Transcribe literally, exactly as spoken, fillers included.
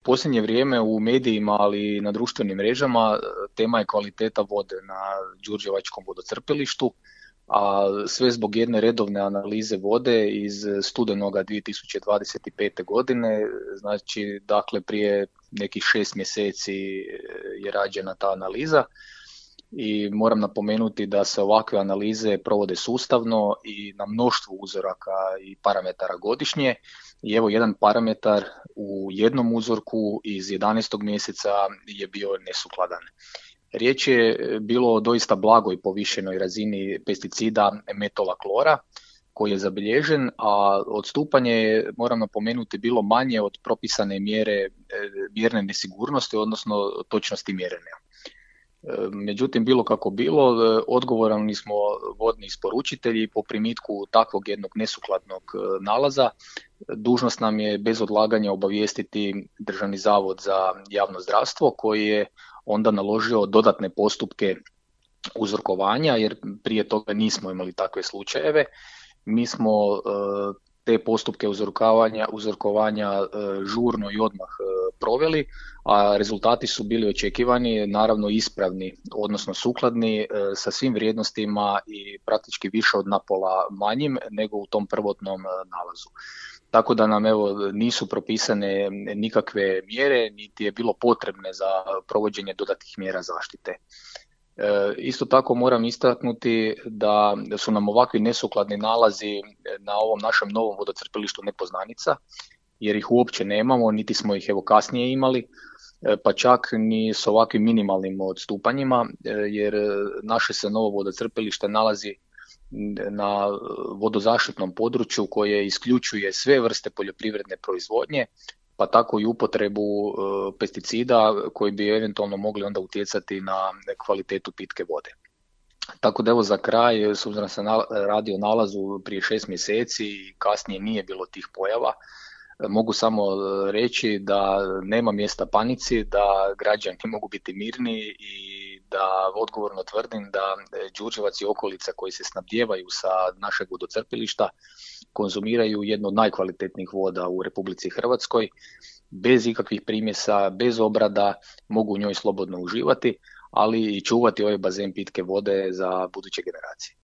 Posljednje vrijeme u medijima, ali i na društvenim mrežama, tema je kvaliteta vode na Đurđevačkom vodocrpilištu, a sve zbog jedne redovne analize vode iz studenoga dvije tisuće dvadeset pete. godine, znači dakle prije nekih šest mjeseci je rađena ta analiza i moram napomenuti da se ovakve analize provode sustavno i na mnoštvu uzoraka i parametara godišnje. I evo jedan parametar u jednom uzorku iz jedanaestog mjeseca je bio nesukladan. Riječ je bilo o doista blagoj povišenoj razini pesticida metola klora koji je zabilježen, a odstupanje je, moram napomenuti, bilo manje od propisane mjere mjerne nesigurnosti, odnosno točnosti mjerenja. Međutim, bilo kako bilo, odgovorni smo vodni isporučitelji po primitku takvog jednog nesukladnog nalaza. Dužnost nam je bez odlaganja obavijestiti Državni zavod za javno zdravstvo koji je onda naložio dodatne postupke uzorkovanja, jer prije toga nismo imali takve slučajeve. Mi smo te postupke uzorkovanja, uzorkovanja žurno i odmah proveli, a rezultati su bili očekivani, naravno ispravni, odnosno sukladni sa svim vrijednostima i praktički više od napola manjim nego u tom prvotnom nalazu. Tako da nam evo nisu propisane nikakve mjere, niti je bilo potrebne za provođenje dodatnih mjera zaštite. Isto tako moram istaknuti da su nam ovakvi nesukladni nalazi na ovom našem novom vodocrpilištu nepoznanica, jer ih uopće nemamo, niti smo ih evo kasnije imali, pa čak ni s ovakvim minimalnim odstupanjima, jer naše se novo vodocrpilište nalazi na vodozaštitnom području koje isključuje sve vrste poljoprivredne proizvodnje, pa tako i upotrebu pesticida koji bi eventualno mogli onda utjecati na kvalitetu pitke vode. Tako da evo za kraj, s obzirom da se radi o nalazu prije šest mjeseci i kasnije nije bilo tih pojava, mogu samo reći da nema mjesta panici, da građani mogu biti mirni i da odgovorno tvrdim da Đurđevac i okolica koji se snabdijevaju sa našeg vodocrpilišta konzumiraju jednu od najkvalitetnijih voda u Republici Hrvatskoj, bez ikakvih primjesa, bez obrada, mogu u njoj slobodno uživati, ali i čuvati ovaj bazen pitke vode za buduće generacije.